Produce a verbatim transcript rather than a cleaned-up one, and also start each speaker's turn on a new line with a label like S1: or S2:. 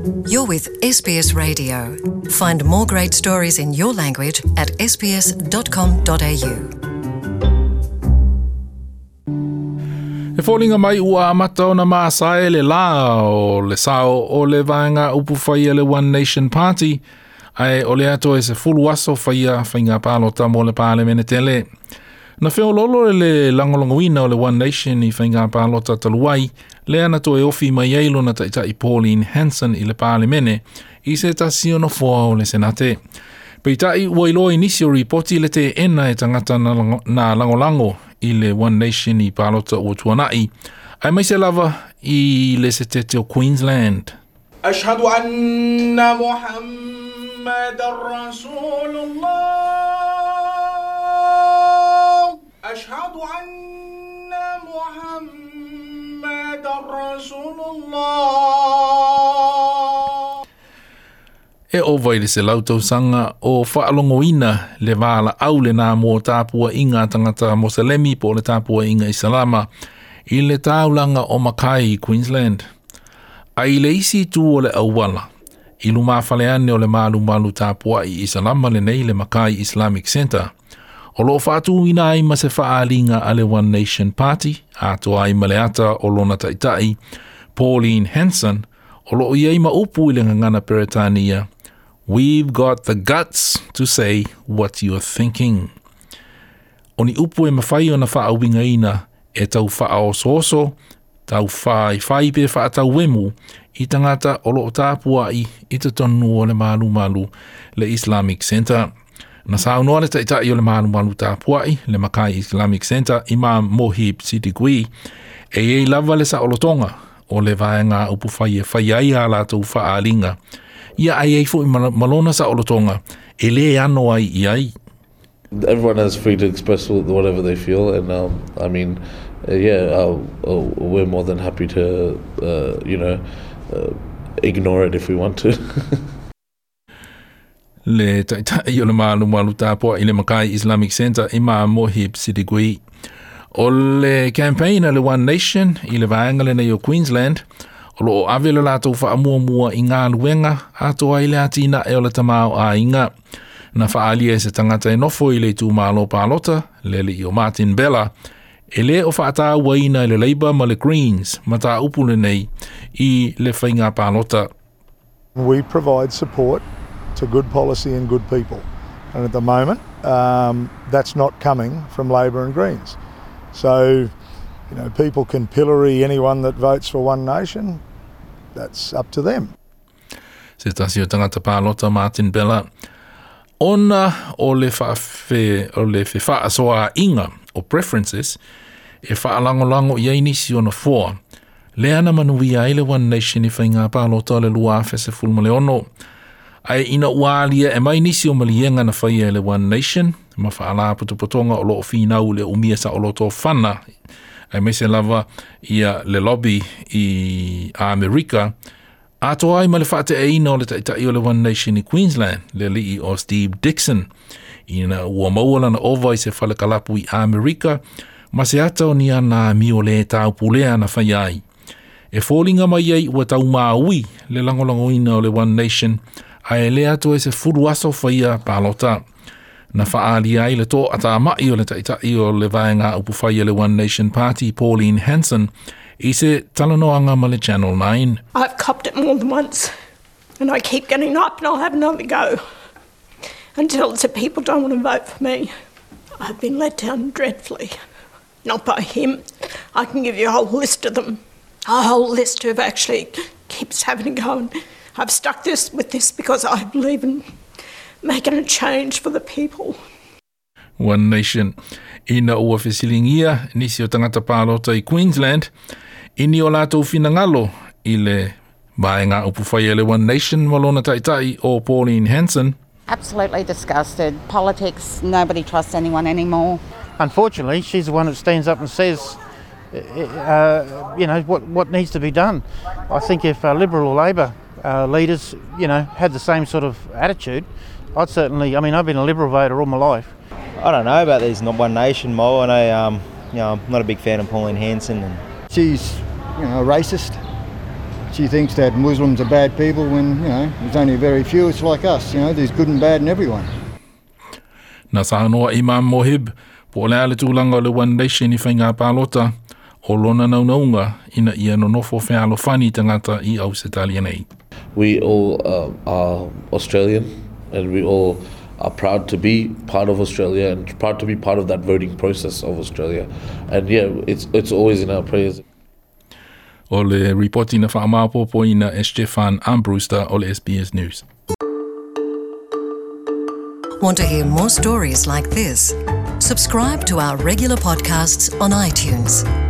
S1: You're with S B S Radio. Find more great stories in your language at S B S dot com dot A U.
S2: E foliga mai ua amata ona masae le lā o le sao o le vaega upufai a le One Nation Party, ae o le ato e se fulu aso faia faiga palota mo le Palemene tele. Na feololo le lagolagoina o le One Nation i faiga palota talu ai, lea na toe ofi mai ai lona taitai Pauline Hanson i le Palemene i se tasi o nofoa o le Senate. Peitai ua iloa i nisi o ripoti le teena e tagata na, na lagolago i le One Nation i palota ua tuanai, aemaise lava i le setete o Queensland.
S3: أشهد أن محمد رسول الله أشهد أن محمد رسول الله
S2: E ova i le selau tausaga o faalogoina le valaau lenā mo tapuaiga a tagata Moselemi po o le tapuaiga Isalama i le taulaga o Mackay i Queensland. Ae i le isi itu o le auala, i lumafale ane o le malumalu tapuai Isalama lenei le Mackay Islamic Centre, o loo faatuina ai ma se faaliga a le One Nation Party, atoa ai ma le ata o lona taitai, Pauline Hanson, o loo i ai ma upu i le gagana Peretania, "We've got the guts to say what you're thinking." O ni upu e mafai ona faauigaina e tau faaosooso, tau faifai pe faatauemu i tagata o loo tapuai i totonu o le malumalu le Islamic Center. Na saunoa le taitai o le malumalu tapuai, le Mackay Islamic Center, Imam Mohib Siddiqui, e i ai lava le saolotoga o le vaega upufai e fai ai a latou faaliga. Ia ae ai foi ma lona saolotoga e lē ano ai i ai.
S4: Everyone has free to express whatever they feel, and um, I mean, uh, yeah, uh, uh, we're more than happy to, uh, you know, uh, ignore it if we want to.
S2: Le taitai o le malumalu tapuai i le Mackay Islamic Center, Imam Mohib Siddiqui. O le campaign a le One Nation i le vaega lenei o Queensland, o loo ave le latou faamuamua i galuega atoa ai le atinae o le tamaoaiga. Na faaalia e se tagata e nofo i le itumalo palota, le alii o Martin Bella, e lē o faatauaina e le Labor ma le Greens mataupu lenei i le faiga palota.
S5: We provide support to good policy and good people. And at the moment, um, that's not coming from Labor and Greens. So, you know, people can pillory anyone that votes for One Nation. That's up to them.
S2: Se tasi o tagata palota Martin Bella. Ona o le faafe, o le fefaasoaaiga o preferences e faalagolago i ai nisi o nofoa. Lea na manuia ai le One Nation i faiga palota o le lua afe sefulu ma le ono. Ae ina ua alia e mai nisi o maliega na faia e le One Nation, ma faalapotopotoga o loo finau le umia saoloto o fana, aemaise lava ia le lobby i Amerika, atoa ai ma le faateaina o le taitai o le One Nation i Queensland, le alii o Steve Dixon, ina ua maua lana ova i se falekalapu i Amerika, ma se ata o ni ana amio lē taupulea na fai ai. E foliga mai ai ua taumaui le lagolagoina o le One Nation, ae lē atu e sefulu aso faia palota. Na faaalia ai le toatamai o le taitai o le vaega upufai o le One Nation Party, Pauline Hanson, i se talanoaga ma le Channel nine.
S6: I've copped it more than once, and I keep getting up and I'll have another go until it's that people don't want to vote for me. I've been let down dreadfully. Not by him. I can give you a whole list of them. A whole list who've actually keeps having a go. And I've stuck this with this because I believe in making a change for the people.
S2: One Nation. Ina ua fesiligia nisi o tagata palota i Queensland, i ni o latou finagalo i le vaega upufai a le One Nation ma lona taitai o Pauline Hanson.
S7: Absolutely disgusted. Politics, nobody trusts anyone anymore.
S8: Unfortunately, she's the one that stands up and says, uh, you know, what, what needs to be done. I think if uh, Liberal or Labor uh, leaders, you know, had the same sort of attitude, I'd certainly, I mean, I've been a Liberal voter all my life.
S9: I don't know about these not One Nation mob. I know, um, you know, I'm not a big fan of Pauline Hanson. And
S10: She's, you know, a racist. She thinks that Muslims are bad people when, you know, there's only very few. It's like us, you know, there's good and bad in everyone.
S2: Na saunoa Imam Mohib, po o le a le tulaga o le One Nation i faiga palota, o lona naunautaiga ina ia nonofo fealofani tagata i Ausetalia nei.
S4: We all uh, are Australian and we all are proud to be part of Australia and proud to be part of that voting process of Australia. And yeah, it's, it's always in our prayers.
S2: O le ripoti na faamaopoopoina e Stefan Armbruster o le S B S News.
S1: Want to hear more stories like this? Subscribe to our regular podcasts on iTunes.